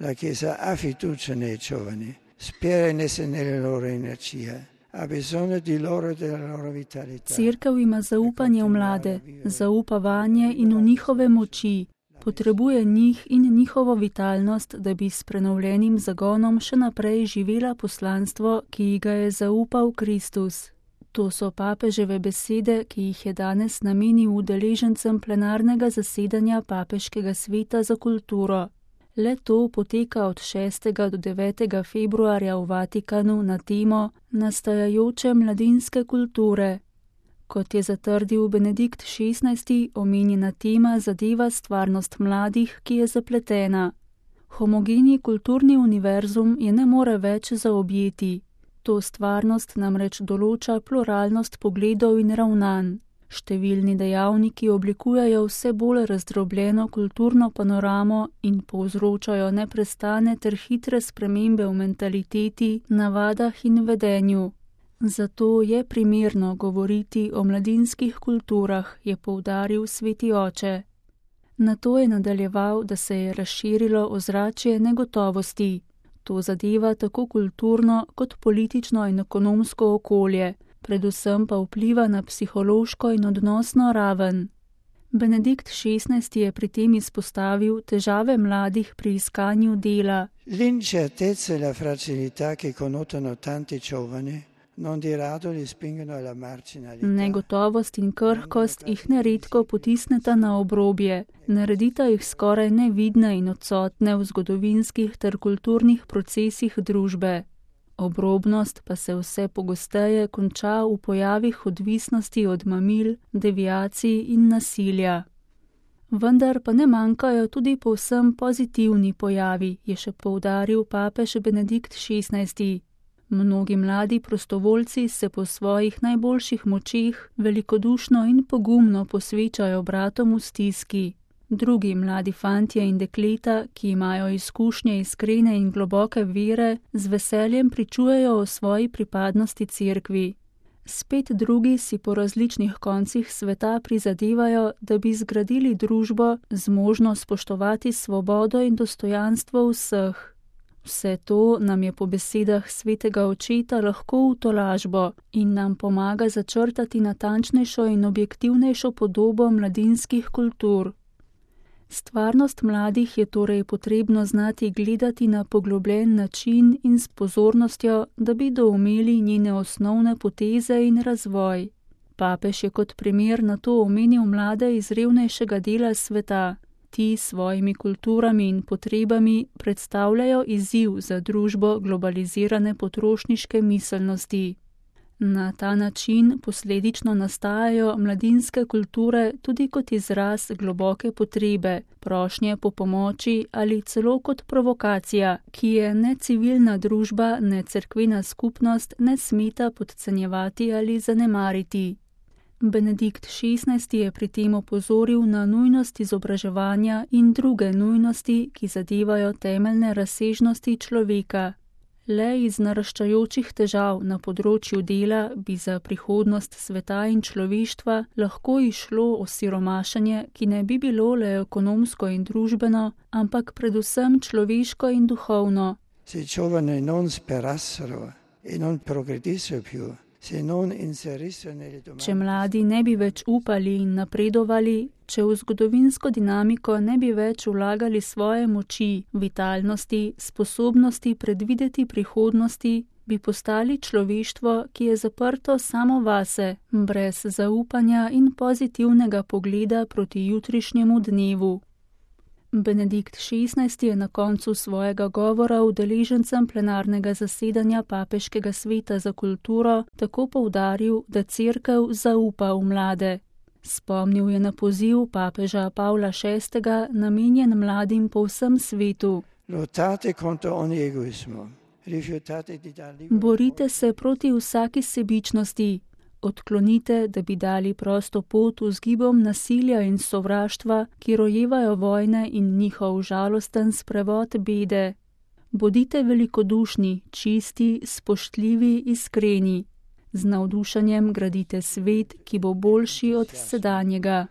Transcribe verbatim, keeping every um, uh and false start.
La Chiesa ha fiducia nei giovani, spera in esse nelle loro energie, ha bisogno di loro e della loro vitalità. Cerkev ima zaupanje v mlade, zaupa vanje in v njihove moči, potrebuje njih in njihovo vitalnost, da bi s prenovljenim zagonom še naprej živela poslanstvo, ki ji ga je zaupal Kristus. To so papeževe besede, ki jih je danes namenil udeležencem plenarnega zasedanja Papeškega sveta za kulturo. Le to poteka od šestega do devetega februarja v Vatikanu na temo nastajajoče mladinske kulture. Kot je zatrdil Benedikt šestnajsti, omenjena tema zadeva stvarnost mladih, ki je zapletena. Homogeni kulturni univerzum je ne more več zaobjeti. To stvarnost namreč določa pluralnost pogledov in ravnanj. Številni dejavniki oblikujejo vse bolj razdrobljeno kulturno panoramo in povzročajo neprestane ter hitre spremembe v mentaliteti, navadah in vedenju. Zato je primerno govoriti o mladinskih kulturah, je poudaril sveti oče. Nato je nadaljeval, da se je razširilo ozračje negotovosti. To zadeva tako kulturno kot politično in ekonomsko okolje, predvsem pa vpliva na psihološko in odnosno raven. Benedikt šestnajsti je pri tem izpostavil težave mladih pri iskanju dela. L'incertezza e la fragilità che connotano tanti giovani non di rado li spingono alla marginalità. Negotovost in krhkost jih neredko potisneta na obrobje, naredita jih skoraj nevidne in odsotne v zgodovinskih ter kulturnih procesih družbe. Obrobnost pa se vse pogosteje konča v pojavih odvisnosti od mamil, deviacij in nasilja. Vendar pa ne manjkajo tudi povsem pozitivni pojavi, je še poudaril papež Benedikt šestnajsti. Mnogi mladi prostovoljci se po svojih najboljših močeh velikodušno in pogumno posvečajo bratom v stiski. Drugi mladi fantje in dekleta, ki imajo izkušnje iskrene in globoke vere, z veseljem pričujejo o svoji pripadnosti cerkvi. Spet drugi si po različnih koncih sveta prizadevajo, da bi zgradili družbo zmožno spoštovati svobodo in dostojanstvo vseh. Vse to nam je po besedah svetega očeta lahko v tolažbo in nam pomaga začrtati natančnejšo in objektivnejšo podobo mladinskih kultur. Stvarnost mladih je torej potrebno znati gledati na poglobljen način in s pozornostjo, da bi doumeli njene osnovne poteze in razvoj. Papež je kot primer na to omenil mlade iz revnejšega dela sveta. Ti s svojimi kulturami in potrebami predstavljajo izziv za družbo globalizirane potrošniške miselnosti. Na ta način posledično nastajajo mladinske kulture tudi kot izraz globoke potrebe, prošnje po pomoči ali celo kot provokacija, ki je ne civilna družba, ne cerkvena skupnost ne smeta podcenjevati ali zanemariti. Benedikt šestnajsti je pri tem opozoril na nujnost izobraževanja in druge nujnosti, ki zadevajo temeljne razsežnosti človeka. Le iz naraščajočih težav na področju dela bi za prihodnost sveta in človeštva lahko išlo osiromašenje, ki ne bi bilo le ekonomsko in družbeno, ampak predvsem človeško in duhovno. Se giovani non sperassero e non progredissero più. Če mladi ne bi več upali in napredovali, če v zgodovinsko dinamiko ne bi več vlagali svoje moči, vitalnosti, sposobnosti predvideti prihodnosti, bi postali človeštvo, ki je zaprto samo vase, brez zaupanja in pozitivnega pogleda proti jutrišnjemu dnevu. Benedikt šestnajsti je na koncu svojega govora udeležencem plenarnega zasedanja Papeškega sveta za kulturo tako poudaril, da cerkev zaupa v mlade. Spomnil je na poziv papeža Pavla šestega, namenjen mladim po vsem svetu. Borite se proti vsaki sebičnosti. Odklonite, da bi dali prosto pot vzgibom nasilja in sovraštva, ki rojevajo vojne in njihov žalosten sprevod bede. Bodite velikodušni, čisti, spoštljivi, iskreni. Z navdušenjem gradite svet, ki bo boljši od sedanjega.